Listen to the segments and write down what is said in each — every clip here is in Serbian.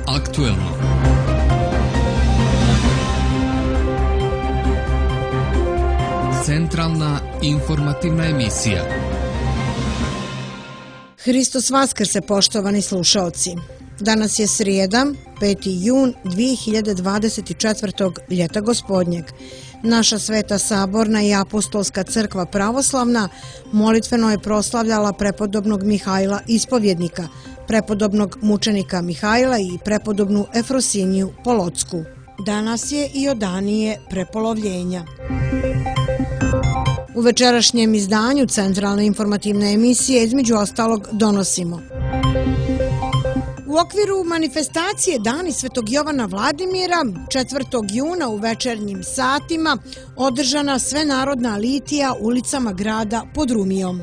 aktuelno. Centralna informativna emisija. Hristos Vaskrse, poštovani slušaoci. Danas je srijeda, 5. jun 2024. ljeta gospodnjeg. Naša Sveta Saborna i Apostolska crkva pravoslavna molitveno je proslavljala prepodobnog Mihajla Ispovjednika, prepodobnog mučenika Mihajla i prepodobnu Efrosiniju Polotsku. Danas je i odanije prepolovljenja. U večerašnjem izdanju Centralne informativne emisije između ostalog donosimo: u okviru manifestacije Dani Svetog Jovana Vladimira 4. juna u večernjim satima održana svenarodna litija ulicama grada pod Rumijom,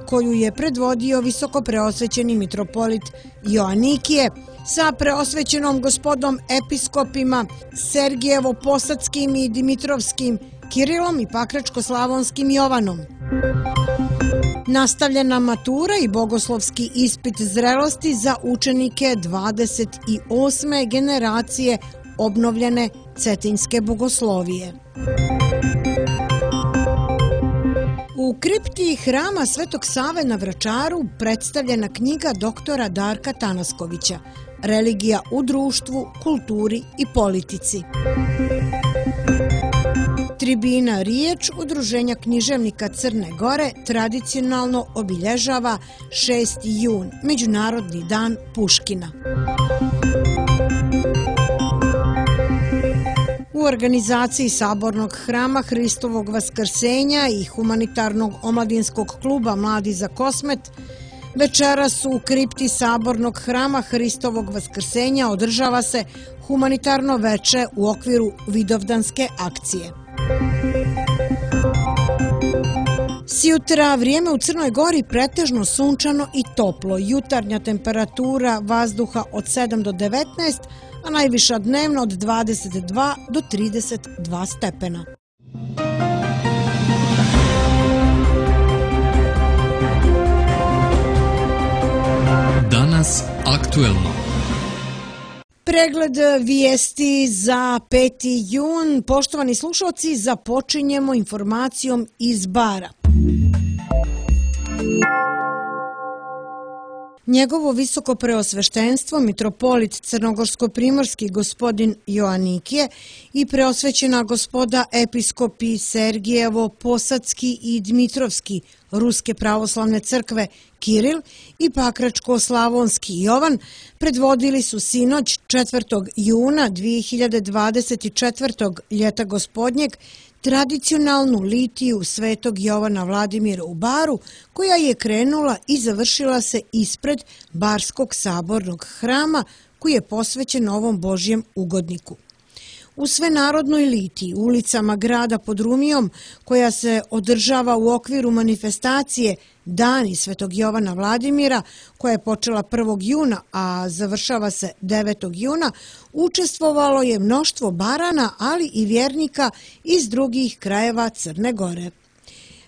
koju je predvodio visokopreosvećeni mitropolit Joanikije sa preosvećenom gospodom episkopima Sergijevo-Posadskim i Dimitrovskim Kirilom i Pakračko-Slavonskim Jovanom. Nastavljena matura i bogoslovski ispit zrelosti za učenike 28. generacije obnovljene Cetinjske bogoslovije. U kripti hrama Svetog Save na Vračaru predstavljena knjiga doktora Darka Tanaskovića Religija u društvu, kulturi i politici. Tribina Riječ Udruženja književnika Crne Gore tradicionalno obilježava 6. jun, Međunarodni dan Puškina. U organizaciji Sabornog hrama Hristovog Vaskrsenja i Humanitarnog omladinskog kluba Mladi za Kosmet večeras u kripti Sabornog hrama Hristovog Vaskrsenja održava se humanitarno veče u okviru Vidovdanske akcije. Sjutra vrijeme u Crnoj Gori pretežno sunčano i toplo. Jutarnja temperatura vazduha od 7 do 19, a najviša dnevno od 22 do 32 stepena. Danas aktuelno. Pregled vijesti za 5. jun. Poštovani slušalci, započinjemo informacijom iz Bara. Njegovo visoko preosveštenstvo, mitropolit crnogorsko-primorski gospodin Joanikije i preosvećena gospoda episkopi Sergijevo, Posadski i Dmitrovski Ruske pravoslavne crkve Kiril i Pakračko-Slavonski Jovan predvodili su sinoć 4. juna 2024. ljeta gospodnjeg tradicionalnu litiju Svetog Jovana Vladimira u Baru, koja je krenula i završila se ispred Barskog sabornog hrama koji je posvećen ovom Božjem ugodniku. U svenarodnoj litiji ulicama grada pod Rumijom, koja se održava u okviru manifestacije Dani Svetog Jovana Vladimira, koja je počela 1. juna, a završava se 9. juna, učestvovalo je mnoštvo Barana, ali i vjernika iz drugih krajeva Crne Gore.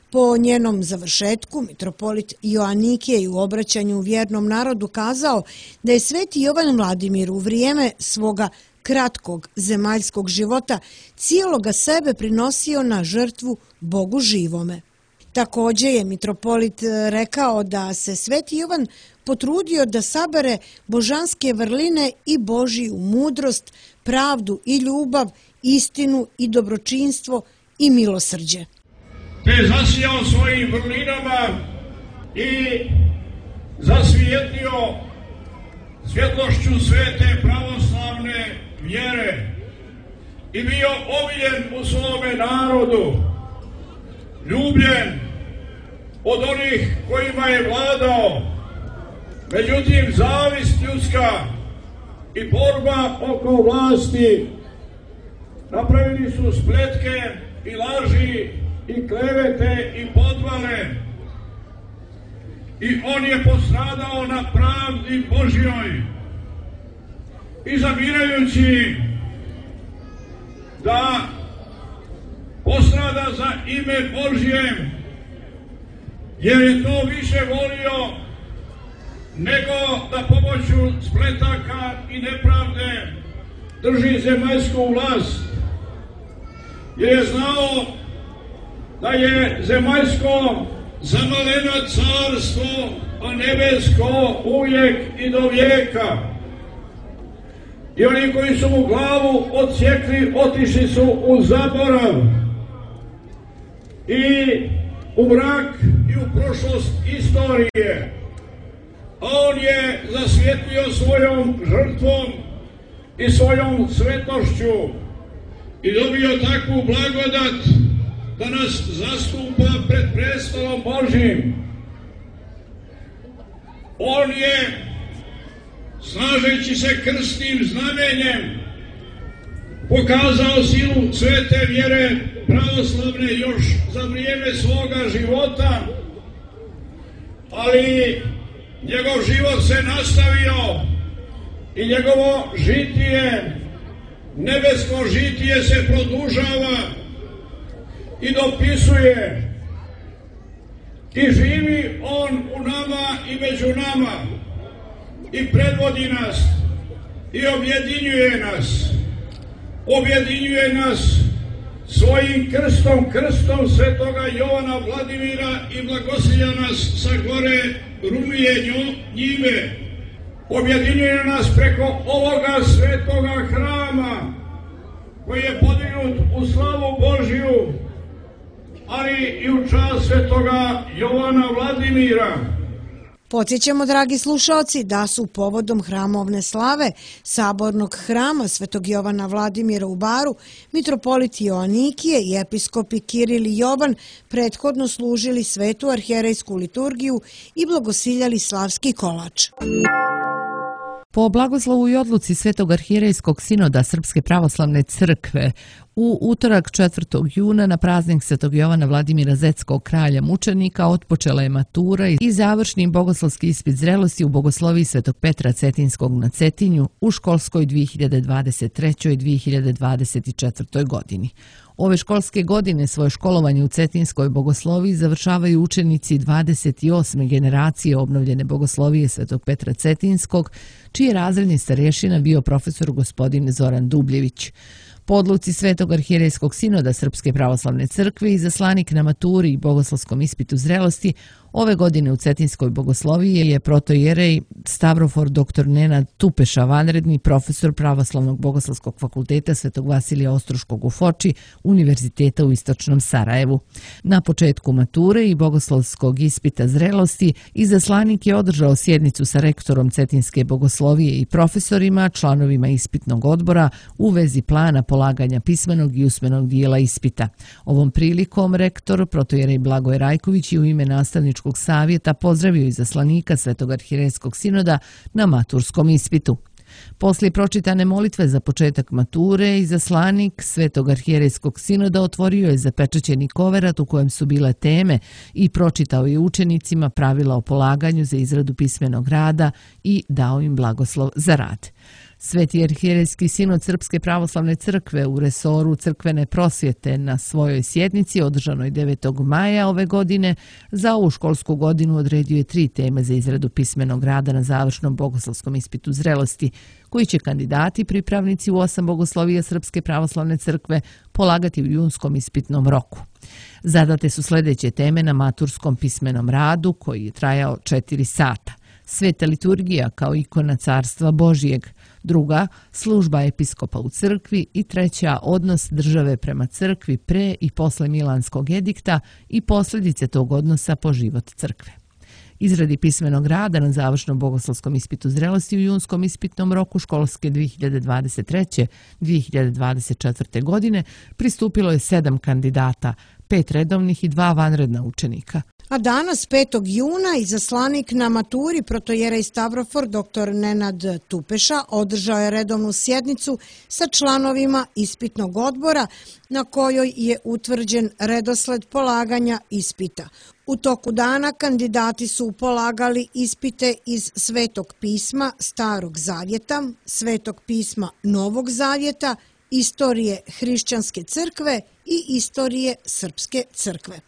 Po njenom završetku, mitropolit Joanikije je u obraćanju vjernom narodu kazao da je Sveti Jovan Vladimir u vrijeme svoga kratkog zemaljskog života cijeloga sebe prinosio na žrtvu Bogu živome. Također je mitropolit rekao da se Sveti Jovan potrudio da sabere božanske vrline i Božiju mudrost, pravdu i ljubav, istinu i dobročinstvo i milosrđe. Te zasijao svojim vrlinama i zasvijetlio svjetlošću svete pravoslavne vjere i bio omiljen u svome narodu, ljubljen od onih kojima je vladao. Međutim, zavist ljudska i borba oko vlasti napravili su spletke i laži i klevete i podvale i on je postradao na pravdi Božjoj i zamirajući da postrada za ime Božje, jer je to više volio nego da pomoću spletaka i nepravde drži zemaljsku vlast, jer je znao da je zemaljsko zamaleno carstvo, a nebesko uvijek i do vijeka. I oni koji su mu glavu odsjekli, otišli su u zaborav i u mrak i u prošlost istorije. A on je zasvjetlio svojom žrtvom i svojom svetošću i dobio takvu blagodat da nas zastupa pred prestolom Božjim. On je, snažeći se krstnim znamenjem, pokazao silu svete vjere pravoslavne još za vrijeme svoga života, ali njegov život se nastavio i njegovo žitije, nebesko žitije se produžava i dopisuje i živi on u nama i među nama i predvodi nas i objedinjuje nas svojim krstom, krstom svetoga Jovana Vladimira i blagosilja nas sa gore Rumije Njive. Objedinjuje nas preko ovoga svetoga hrama koji je podignut u slavu Božju, ali i u čast svetoga Jovana Vladimira. Podsjećamo, dragi slušalci, da su povodom hramovne slave Sabornog hrama Svetog Jovana Vladimira u Baru mitropolit Joanikije i episkopi Kiril i Jovan prethodno služili svetu arhijerejsku liturgiju i blagosiljali slavski kolač. Po blagoslovu i odluci Svetog arhijerejskog sinoda Srpske pravoslavne crkve u utorak 4. juna na praznik Svetog Jovana Vladimira Zetskog kralja mučenika otpočela je matura i završni bogoslovski ispit zrelosti u bogosloviji Svetog Petra Cetinskog na Cetinju u školskoj 2023. i 2024. godini. Ove školske godine svoje školovanje u Cetinskoj bogosloviji završavaju učenici 28. generacije obnovljene bogoslovije Svetog Petra Cetinskog, čiji je razredni starješina bio profesor gospodin Zoran Dubljević. Po odluci Svetog arhijerejskog sinoda Srpske pravoslavne crkve i zaslanik na maturi i bogoslovskom ispitu zrelosti, ove godine u Cetinskoj bogosloviji je protoijerej Stavrofor dr. Nenad Tupeša, vanredni profesor Pravoslavnog bogoslovskog fakulteta Svetog Vasilija Ostroškog u Foči, Univerziteta u Istočnom Sarajevu. Na početku mature i bogoslovskog ispita zrelosti izaslanik je održao sjednicu sa rektorom Cetinske bogoslovije i profesorima, članovima ispitnog odbora u vezi plana polaganja pismenog i usmenog dijela ispita. Ovom prilikom rektor protoijerej Blagoje Rajković i u ime nastavničkog savjeta pozdravio izaslanika Svetog arhijerejskog sinoda na maturskom ispitu. Poslije pročitane molitve za početak mature, izaslanik Svetog arhijerejskog sinoda otvorio je zapečaćeni koverat u kojem su bile teme i pročitao je učenicima pravila o polaganju za izradu pismenog rada i dao im blagoslov za rad. Sveti arhijerejski sinod Srpske pravoslavne crkve u resoru crkvene prosvjete na svojoj sjednici održanoj 9. maja ove godine za ovu školsku godinu odredio je 3 teme za izradu pismenog rada na završnom bogoslovskom ispitu zrelosti, koji će kandidati pripravnici u 8 bogoslovija Srpske pravoslavne crkve polagati u junskom ispitnom roku. Zadate su sljedeće teme na maturskom pismenom radu koji je trajao 4 sata. Sveta liturgija kao ikona Carstva Božijeg, druga, služba episkopa u crkvi i treća, odnos države prema crkvi pre i posle Milanskog edikta i posljedice tog odnosa po život crkve. Izradi pismenog rada na završnom bogoslovskom ispitu zrelosti u junskom ispitnom roku školske 2023-2024. godine pristupilo je 7 kandidata, 5 redovnih i 2 vanredna učenika. A danas, 5. juna, izaslanik na maturi protoijerej Stavrofor dr. Nenad Tupeša održao je redovnu sjednicu sa članovima ispitnog odbora na kojoj je utvrđen redosled polaganja ispita. U toku dana kandidati su polagali ispite iz Svetog pisma Starog zavjeta, Svetog pisma Novog zavjeta istorije hrišćanske crkve i istorije srpske crkve.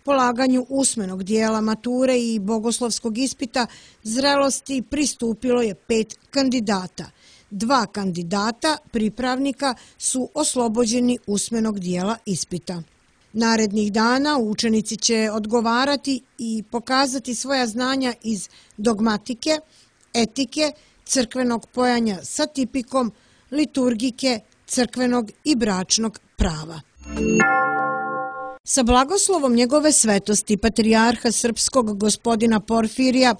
Polaganju usmenog dijela mature i bogoslovskog ispita zrelosti pristupilo je 5 kandidata. 2 kandidata, pripravnika, su oslobođeni usmenog dijela ispita. Narednih dana učenici će odgovarati i pokazati svoja znanja iz dogmatike, etike, crkvenog pojanja sa tipikom, liturgike, crkvenog i bračnog prava. Sa blagoslovom njegove svetosti patrijarha srpskog gospodina Porfirija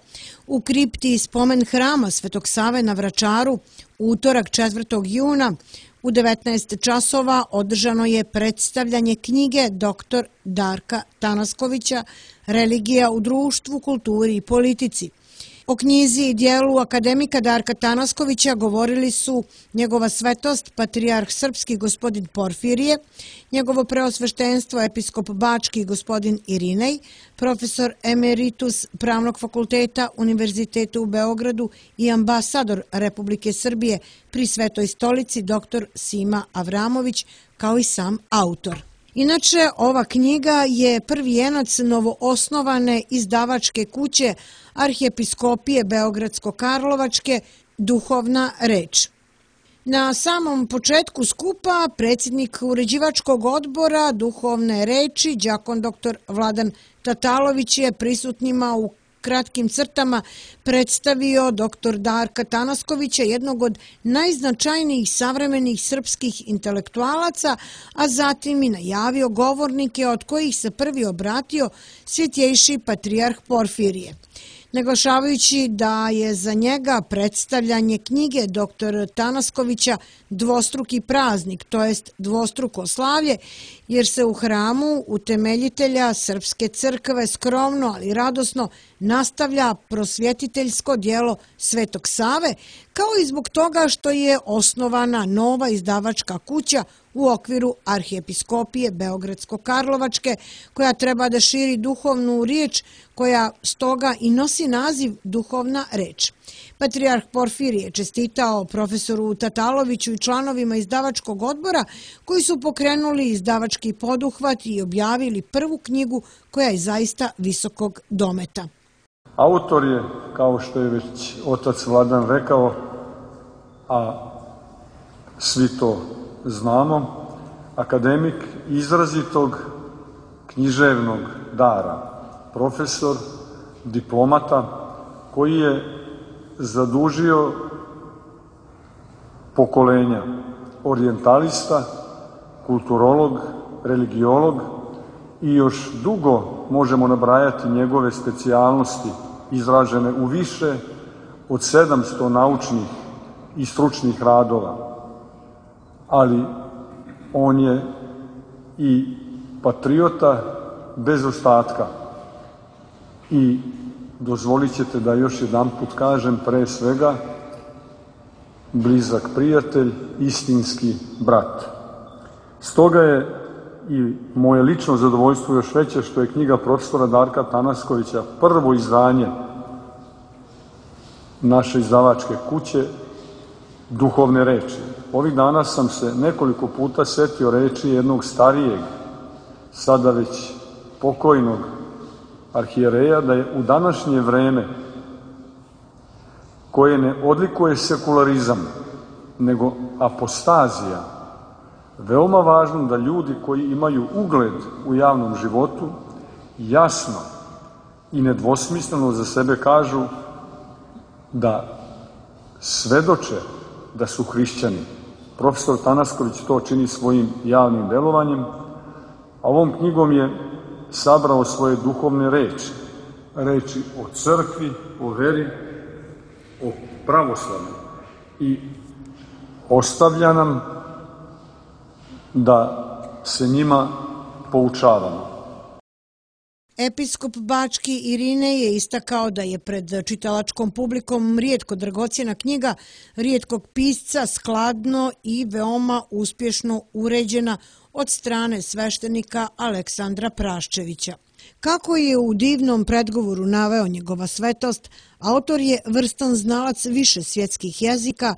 u kripti spomen hrama Svetog Save na Vračaru utorak 4. juna u 19 časova održano je predstavljanje knjige dr. Darka Tanaskovića Religija u društvu, kulturi i politici. O knjizi i dijelu akademika Darka Tanaskovića govorili su njegova svetost, patrijarh srpski gospodin Porfirije, njegovo preosveštenstvo episkop bački gospodin Irinej, profesor emeritus Pravnog fakulteta Univerziteta u Beogradu i ambasador Republike Srbije pri Svetoj stolici dr. Sima Avramović, kao i sam autor. Inače, ova knjiga je prvijenac novoosnovane izdavačke kuće Arhijepiskopije Beogradsko-Karlovačke Duhovna reč. Na samom početku skupa predsjednik uređivačkog odbora Duhovne reči, đakon dr. Vladan Tatalović, je prisutnima u kratkim crtama predstavio dr. Darka Tanaskovića, jednog od najznačajnijih savremenih srpskih intelektualaca, a zatim i najavio govornike od kojih se prvi obratio svjetjejši patrijarh Porfirije. Naglašavajući da je za njega predstavljanje knjige dr. Tanaskovića dvostruki praznik, to jest dvostruko slavlje, jer se u hramu utemeljitelja Srpske crkve skromno, ali radosno nastavlja prosvjetiteljsko djelo Svetog Save, kao i zbog toga što je osnovana nova izdavačka kuća u okviru Arhijepiskopije Beogradsko-Karlovačke, koja treba da širi duhovnu riječ, koja stoga i nosi naziv Duhovna reč. Patrijarh Porfirije je čestitao profesoru Tataloviću i članovima izdavačkog odbora koji su pokrenuli izdavački poduhvat i objavili prvu knjigu koja je zaista visokog dometa. Autor je, kao što je već otac Vladan rekao, a svi to znamo, akademik izrazitog književnog dara, profesor, diplomata, koji je zadužio pokolenja orijentalista, kulturolog, religiolog i još dugo možemo nabrajati njegove specijalnosti izražene u više od 700 naučnih i stručnih radova. Ali on je i patriota bez ostatka i dozvolit ćete da još jedan put kažem, pre svega, blizak prijatelj, istinski brat. Stoga je i moje lično zadovoljstvo još veće što je knjiga profesora Darka Tanaskovića prvo izdanje naše izdavačke kuće Duhovne reči. Ovih dana sam se nekoliko puta setio reči jednog starijeg, sada već pokojnog arhijereja, da je u današnje vreme, koje ne odlikuje sekularizam, nego apostazija, veoma važno da ljudi koji imaju ugled u javnom životu jasno i nedvosmisleno za sebe kažu da svedoče da su hrišćani. Profesor Tanasković to čini svojim javnim delovanjem, a ovom knjigom je sabrao svoje duhovne reči. Reči o crkvi, o veri, o pravoslavlju. I ostavlja nam da se njima poučavamo. Episkop bački Irinej je istakao da je pred čitalačkom publikom rijetko dragocjena knjiga rijetkog pisca skladno i veoma uspješno uređena od strane sveštenika Aleksandra Praščevića. Kako je u divnom predgovoru naveo njegova svetost, autor je vrstan znalac više svjetskih jezika,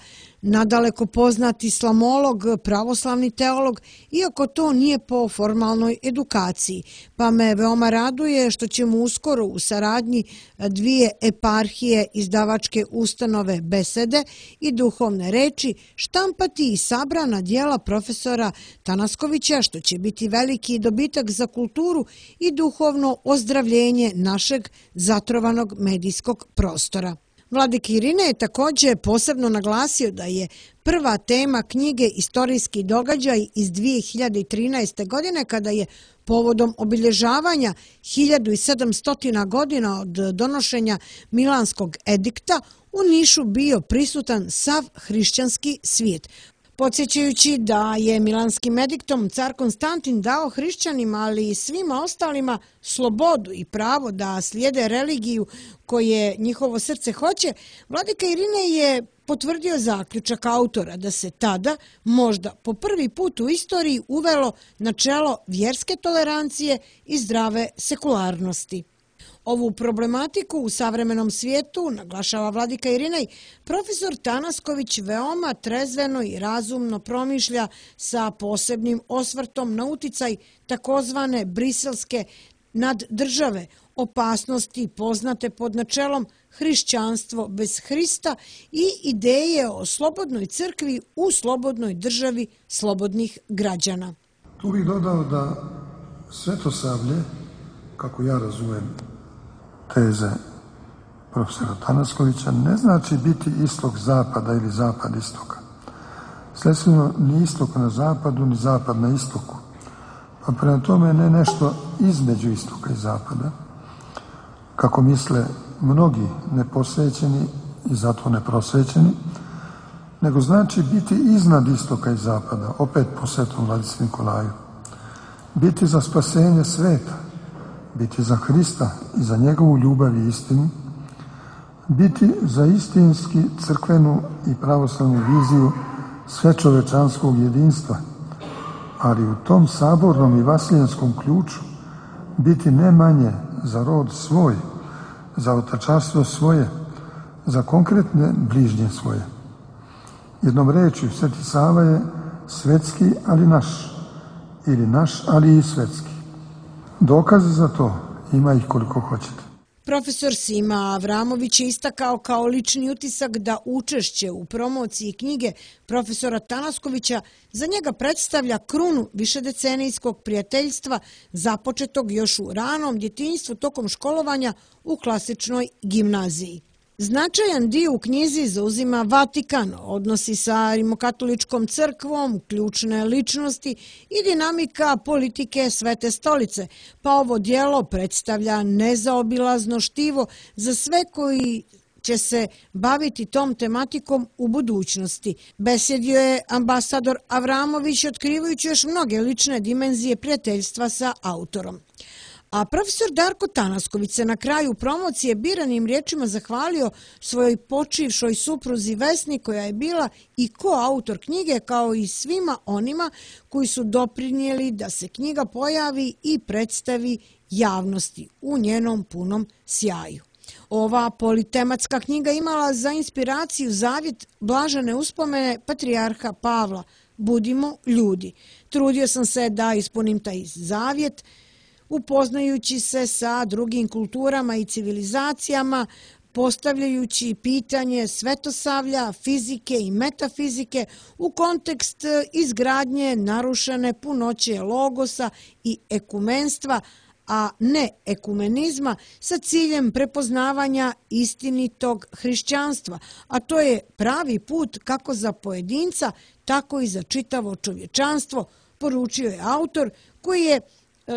nadaleko poznat islamolog, pravoslavni teolog, iako to nije po formalnoj edukaciji. Pa me veoma raduje što ćemo uskoro u saradnji dvije eparhije izdavačke ustanove Besede i duhovne reči štampati i sabrana djela profesora Tanaskovića, što će biti veliki dobitak za kulturu i duhovno ozdravljenje našeg zatrovanog medijskog prostora. Vladika Irine je također posebno naglasio da je prva tema knjige istorijski događaj iz 2013. godine, kada je povodom obilježavanja 1700 godina od donošenja Milanskog edikta u Nišu bio prisutan sav hrišćanski svijet. Podsjećajući da je Milanskim ediktom car Konstantin dao hrišćanima, ali i svima ostalima, slobodu i pravo da slijede religiju koje njihovo srce hoće, vladika Irine je potvrdio zaključak autora da se tada, možda po prvi put u istoriji, uvelo načelo vjerske tolerancije i zdrave sekularnosti. Ovu problematiku u savremenom svijetu, naglašava vladika Irinej, profesor Tanasković veoma trezveno i razumno promišlja sa posebnim osvrtom na uticaj takozvane briselske naddržave, opasnosti poznate pod načelom hrišćanstvo bez Hrista i ideje o slobodnoj crkvi u slobodnoj državi slobodnih građana. Tu bih dodao da svetosavlje, kako ja razumijem teze profesora Tanaskovića, ne znači biti istok zapada ili zapad istoka. Sledstveno, ni istok na zapadu, ni zapad na istoku. Pa prema tome ne nešto između istoka i zapada, kako misle mnogi neposvećeni i zato neprosvećeni, nego znači biti iznad istoka i zapada, opet po Svetom Vladici Nikolaju. Biti za spasenje sveta, biti za Hrista i za njegovu ljubav i istinu, biti za istinski crkvenu i pravoslavnu viziju svečovečanskog jedinstva, ali u tom sabornom i vasilijanskom ključu biti ne manje za rod svoj, za otačarstvo svoje, za konkretne bližnje svoje. Jednom rečju, Sveti Sava je svetski, ali naš, ili naš, ali i svetski. Dokaze za to ima ih koliko hoćete. Profesor Sima Avramović je istakao kao lični utisak da učešće u promociji knjige profesora Tanaskovića za njega predstavlja krunu višedecenijskog prijateljstva započetog još u ranom djetinjstvu tokom školovanja u klasičnoj gimnaziji. Značajan dio u knjizi zauzima Vatikan, odnosi sa Rimokatoličkom crkvom, ključne ličnosti i dinamika politike Svete stolice, pa ovo djelo predstavlja nezaobilazno štivo za sve koji će se baviti tom tematikom u budućnosti. Besjedio je ambasador Avramović, otkrivajući još mnoge lične dimenzije prijateljstva sa autorom. A profesor Darko Tanasković se na kraju promocije biranim riječima zahvalio svojoj počivšoj supruzi Vesni, koja je bila i koautor knjige, kao i svima onima koji su doprinijeli da se knjiga pojavi i predstavi javnosti u njenom punom sjaju. Ova politematska knjiga imala za inspiraciju zavjet blažene uspomene patrijarha Pavla, budimo ljudi. Trudio sam se da ispunim taj zavjet, upoznajući se sa drugim kulturama i civilizacijama, postavljajući pitanje svetosavlja, fizike i metafizike u kontekst izgradnje narušene punoće logosa i ekumenstva, a ne ekumenizma, sa ciljem prepoznavanja istinitog hrišćanstva, a to je pravi put kako za pojedinca, tako i za čitavo čovječanstvo, poručio je autor, koji je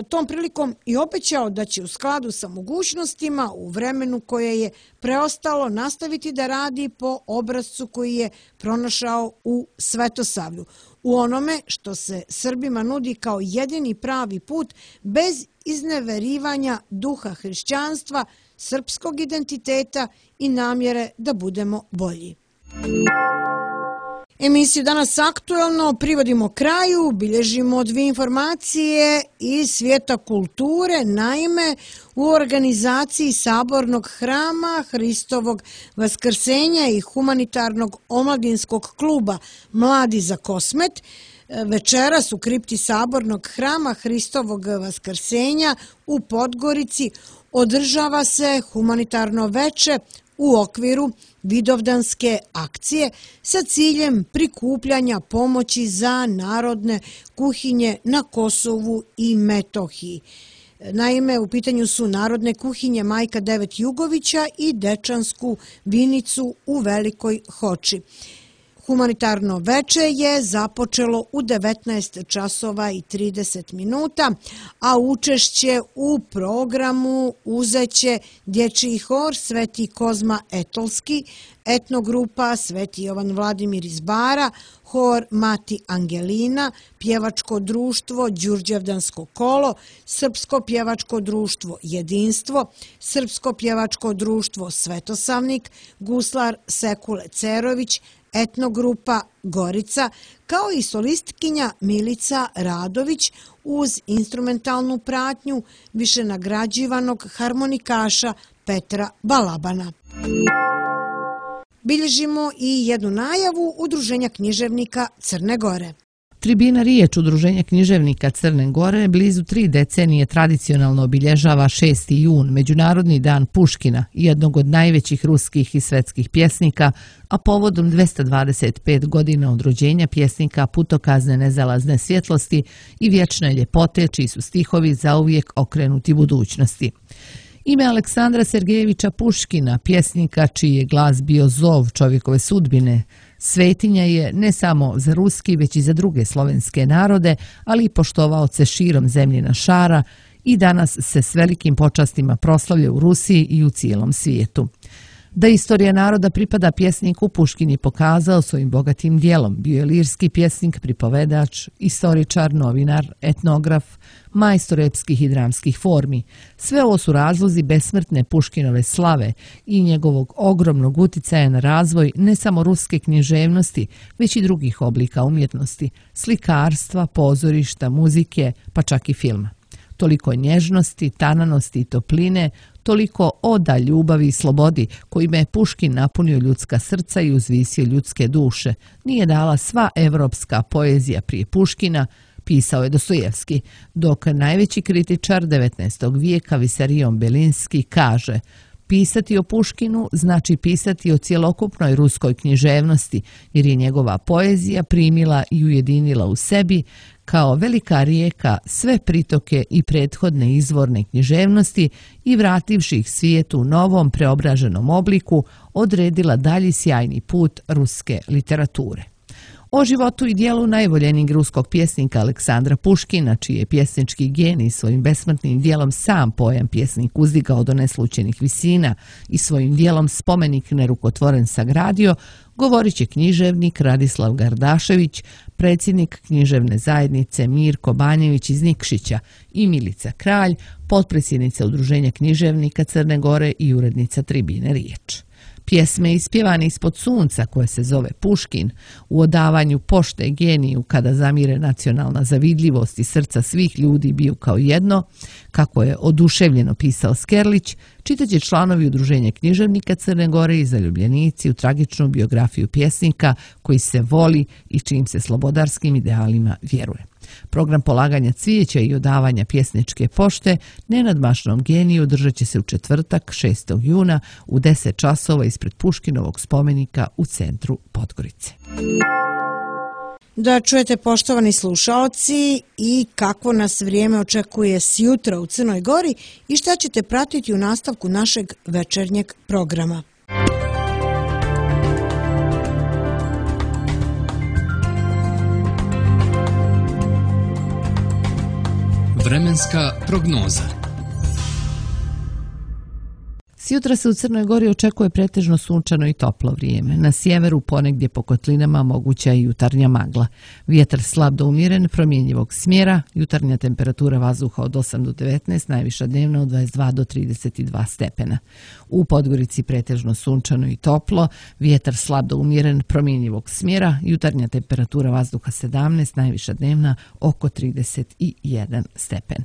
tom prilikom i obećao da će u skladu sa mogućnostima u vremenu koje je preostalo nastaviti da radi po obrascu koji je pronašao u Svetosavlju, u onome što se Srbima nudi kao jedini pravi put bez izneverivanja duha hrišćanstva, srpskog identiteta i namjere da budemo bolji. Emisiju Danas aktuelno privodimo kraju, bilježimo dvije informacije iz svijeta kulture. Naime, u organizaciji Sabornog hrama Hristovog vaskrsenja i humanitarnog omladinskog kluba Mladi za Kosmet večeras u kripti Sabornog hrama Hristovog vaskrsenja u Podgorici održava se humanitarno veče u okviru vidovdanske akcije sa ciljem prikupljanja pomoći za narodne kuhinje na Kosovu i Metohiji. Naime, u pitanju su narodne kuhinje Majka Devet Jugovića i Dečansku vinicu u Velikoj Hoči. Humanitarno veče je započelo u 19 časova i 30 minuta, a učešće u programu uzeće dječji hor Sveti Kozma Etolski, etnogrupa Sveti Jovan Vladimir iz Bara, hor Mati Angelina, pjevačko društvo Đurđevdansko kolo, srpsko pjevačko društvo Jedinstvo, srpsko pjevačko društvo Svetosavnik, guslar Sekule Cerović, etnogrupa Gorica, kao i solistkinja Milica Radović uz instrumentalnu pratnju više nagrađivanog harmonikaša Petra Balabana. Bilježimo i jednu najavu Udruženja književnika Crne Gore. Tribina Riječ Udruženja književnika Crne Gore blizu 3 decenije tradicionalno obilježava 6. jun, Međunarodni dan Puškina, jednog od najvećih ruskih i svetskih pjesnika, a povodom 225 godina od rođenja pjesnika putokazne nezalazne svjetlosti i vječne ljepote, čiji su stihovi zauvijek okrenuti budućnosti. Ime Aleksandra Sergejevića Puškina, pjesnika čiji je glas bio zov čovjekove sudbine, svetinja je ne samo za ruski, već i za druge slovenske narode, ali i poštovaoce širom zemljina šara i danas se s velikim počastima proslavlja u Rusiji i u cijelom svijetu. Da istorija naroda pripada pjesniku, Puškin je pokazao svojim bogatim dijelom. Bio je lirski pjesnik, pripovedač, istoričar, novinar, etnograf, majstor epskih i dramskih formi. Sve ovo su razlozi besmrtne Puškinove slave i njegovog ogromnog uticaja na razvoj ne samo ruske književnosti, već i drugih oblika umjetnosti, slikarstva, pozorišta, muzike, pa čak i filma. Toliko nježnosti, tananosti i topline, toliko oda ljubavi i slobodi kojima je Puškin napunio ljudska srca i uzvisio ljudske duše, nije dala sva evropska poezija prije Puškina, pisao je Dostojevski, dok najveći kritičar 19. vijeka Visarion Belinski kaže: pisati o Puškinu znači pisati o cjelokupnoj ruskoj književnosti, jer je njegova poezija primila i ujedinila u sebi kao velika rijeka sve pritoke i prethodne izvorne književnosti i vrativši ih svijetu u novom preobraženom obliku, odredila dalji sjajni put ruske literature. O životu i dijelu najvoljenijeg ruskog pjesnika Aleksandra Puškina, čiji je pjesnički genij svojim besmrtnim dijelom sam pojam pjesnik uzdigao do neslućenih visina i svojim dijelom spomenik nerukotvoren sagradio, govorit će književnik Radislav Gardašević, predsjednik književne zajednice Mirko Banjević iz Nikšića i Milica Kralj, potpredsjednica Udruženja književnika Crne Gore i urednica Tribine Riječ. Pjesme ispjevane ispod sunca, koje se zove Puškin, u odavanju pošte geniju kada zamire nacionalna zavidljivost i srca svih ljudi biju kao jedno, kako je oduševljeno pisao Skerlić, čitaće članovi Udruženja književnika Crne Gore i zaljubljenici u tragičnu biografiju pjesnika koji se voli i čijim se slobodarskim idealima vjeruje. Program polaganja cvijeća i odavanja pjesničke pošte nenadmašnom geniju održat će se u četvrtak 6. juna u 10 časova ispred Puškinovog spomenika u centru Podgorice. Da čujete, poštovani slušaoci, i kako nas vrijeme očekuje sjutra u Crnoj Gori i šta ćete pratiti u nastavku našeg večernjeg programa. Vremenska prognoza. Sjutra se u Crnoj Gori očekuje pretežno sunčano i toplo vrijeme. Na sjeveru ponegdje po kotlinama moguća je jutarnja magla. Vjetar slab do umjeren, promjenjivog smjera, jutarnja temperatura vazduha od 8 do 19, najviša dnevna od 22 do 32 stepena. U Podgorici pretežno sunčano i toplo, vjetar slab do umjeren, promjenjivog smjera, jutarnja temperatura vazduha 17, najviša dnevna oko 31 stepen.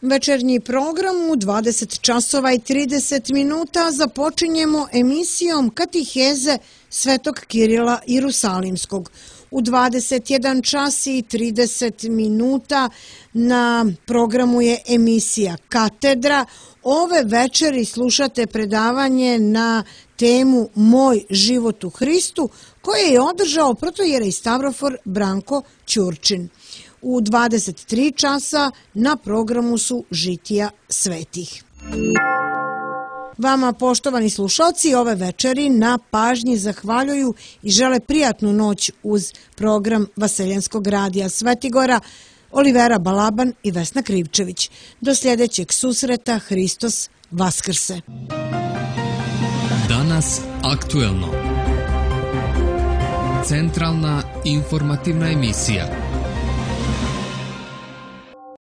Večernji program u 20 časova i 30 minuta započinjemo emisijom Katiheze Svetog Kirila Jerusalimskog. U 21 čas i 30 minuta na programu je emisija Katedra. Ove večeri slušate predavanje na temu Moj život u Hristu koje je održao protojerej Stavrofor Branko Ćurčin. U 23 časa na programu su Žitija svetih. Vama, poštovani slušalci, ove večeri na pažnji zahvaljuju i žele prijatnu noć uz program Vaseljenskog radija Svetigora, Olivera Balaban i Vesna Krivčević. Do sljedećeg susreta, Hristos Vaskrse. Danas aktuelno. Centralna informativna emisija.